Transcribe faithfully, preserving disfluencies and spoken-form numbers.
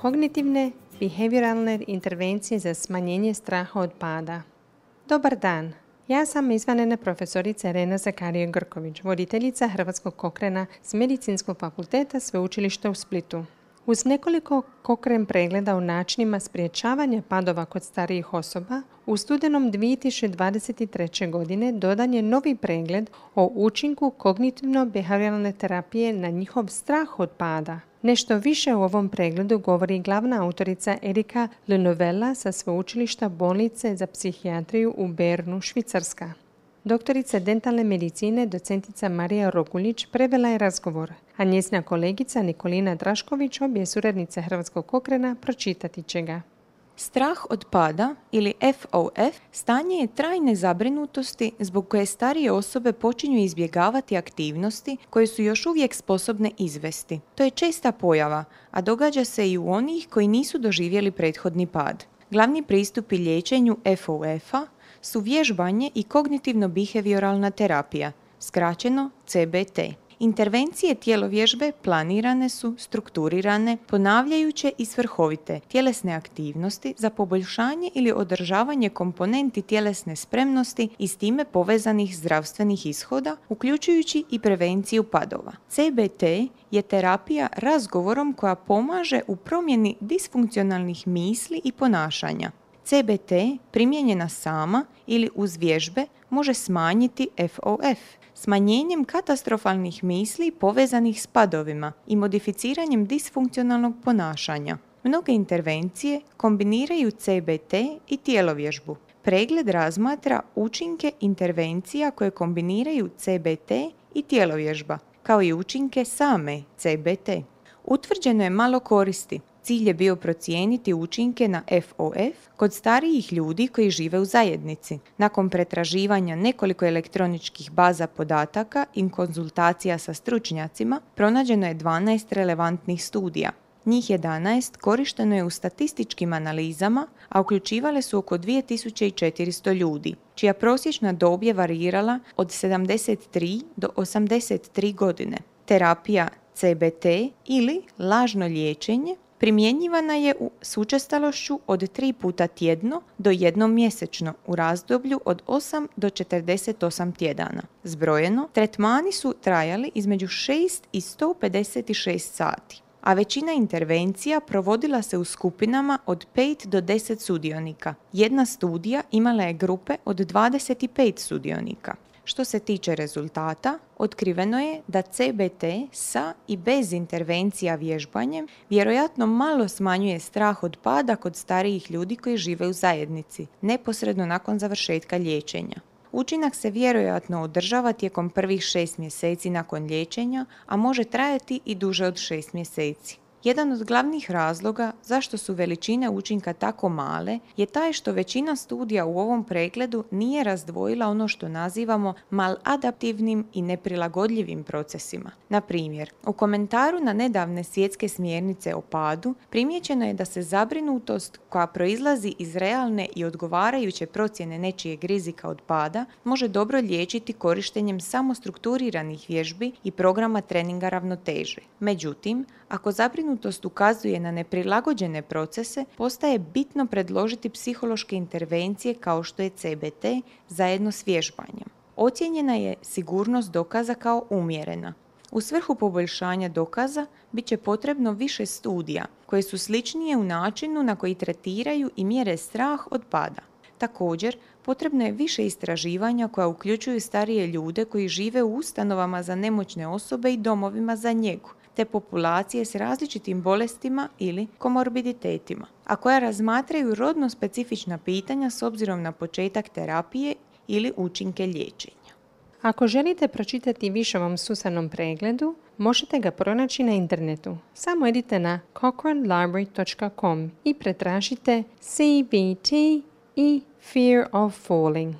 Kognitivne behavioralne intervencije za smanjenje straha od pada. Dobar dan, ja sam izvanredna profesorica Irena Zakarije-Grković, voditeljica Hrvatskog Cochrana s Medicinskog fakulteta Sveučilišta u Splitu. Uz nekoliko Cochrane pregleda o načinima sprječavanja padova kod starijih osoba, u studenom dvije tisuće dvadeset treće. godine dodan je novi pregled o učinku kognitivno-behavioralne terapije na njihov strah od pada. Nešto više u ovom pregledu govori glavna autorica Erika Lenovella sa Sveučilišta bolnice za psihijatriju u Bernu, Švicarska. Doktorica dentalne medicine, docentica Marija Roguljić, prevela je razgovor, a njezina kolegica Nikolina Drašković, obje suradnice Hrvatskog Cochrana, pročitati će ga. Strah od pada ili F O F stanje je trajne zabrinutosti zbog koje starije osobe počinju izbjegavati aktivnosti koje su još uvijek sposobne izvesti. To je česta pojava, a događa se i u onih koji nisu doživjeli prethodni pad. Glavni pristupi liječenju F O F-a su vježbanje i kognitivno-behavioralna terapija, skraćeno C B T. Intervencije tjelovježbe planirane su, strukturirane, ponavljajuće i svrhovite tjelesne aktivnosti za poboljšanje ili održavanje komponenti tjelesne spremnosti i s time povezanih zdravstvenih ishoda, uključujući i prevenciju padova. C B T je terapija razgovorom koja pomaže u promjeni disfunkcionalnih misli i ponašanja. C B T primijenjena sama ili uz vježbe može smanjiti F O F, smanjenjem katastrofalnih misli povezanih s padovima i modificiranjem disfunkcionalnog ponašanja. Mnoge intervencije kombiniraju C B T i tjelovježbu. Pregled razmatra učinke intervencija koje kombiniraju C B T i tjelovježba, kao i učinke same C B T. Utvrđeno je malo koristi. Cilj je bio procijeniti učinke na F O F kod starijih ljudi koji žive u zajednici. Nakon pretraživanja nekoliko elektroničkih baza podataka i konzultacija sa stručnjacima, pronađeno je dvanaest relevantnih studija. Njih jedanaest korišteno je u statističkim analizama, a uključivale su oko dvije tisuće četiristo ljudi, čija prosječna dob je varirala od sedamdeset tri do osamdeset tri godine. Terapija C B T ili lažno liječenje primjenjivana je u s učestalošću od tri puta tjedno do jednom mjesečno u razdoblju od osam do četrdeset osam tjedana. Zbrojeno, tretmani su trajali između šest i sto pedeset šest sati, a većina intervencija provodila se u skupinama od pet do deset sudionika. Jedna studija imala je grupe od dvadeset pet sudionika. Što se tiče rezultata, otkriveno je da C B T sa i bez intervencija vježbanjem vjerojatno malo smanjuje strah od pada kod starijih ljudi koji žive u zajednici, neposredno nakon završetka liječenja. Učinak se vjerojatno održava tijekom prvih šest mjeseci nakon liječenja, a može trajati i duže od šest mjeseci. Jedan od glavnih razloga zašto su veličine učinka tako male je taj što većina studija u ovom pregledu nije razdvojila ono što nazivamo maladaptivnim i neprilagodljivim procesima. Na primjer, u komentaru na nedavne svjetske smjernice o padu primijećeno je da se zabrinutost koja proizlazi iz realne i odgovarajuće procjene nečijeg rizika od pada može dobro liječiti korištenjem samo strukturiranih vježbi i programa treninga ravnoteže. Međutim, ako zabrinutost ukazuje na neprilagođene procese, postaje bitno predložiti psihološke intervencije kao što je C B T zajedno s vježbanjem. Ocijenjena je sigurnost dokaza kao umjerena. U svrhu poboljšanja dokaza bit će potrebno više studija koje su sličnije u načinu na koji tretiraju i mjere strah od pada. Također, potrebno je više istraživanja koja uključuju starije ljude koji žive u ustanovama za nemoćne osobe i domovima za njegu, te populacije s različitim bolestima ili komorbiditetima, a koja razmatraju rodno specifična pitanja s obzirom na početak terapije ili učinke liječenja. Ako želite pročitati više o ovom sustavnom pregledu, možete ga pronaći na internetu. Samo idite na cochrane library dot com i pretražite C B T i Fear of Falling.